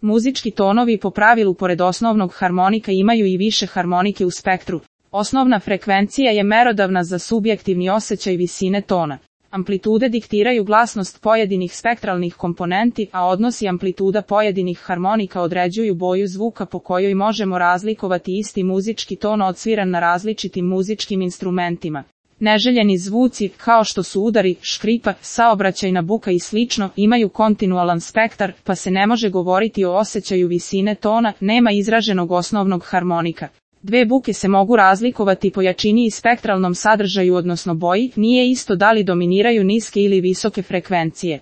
Muzički tonovi po pravilu pored osnovnog harmonika imaju i više harmonike u spektru. Osnovna frekvencija je merodavna za subjektivni osjećaj visine tona. Amplitude diktiraju glasnost pojedinih spektralnih komponenti, a odnosi amplituda pojedinih harmonika određuju boju zvuka po kojoj možemo razlikovati isti muzički ton odsviran na različitim muzičkim instrumentima. Neželjeni zvuci, kao što su udari, škripa, saobraćajna buka i slično, imaju kontinualan spektar, pa se ne može govoriti o osjećaju visine tona, nema izraženog osnovnog harmonika. Dve buke se mogu razlikovati po jačini i spektralnom sadržaju odnosno boji, nije isto da li dominiraju niske ili visoke frekvencije.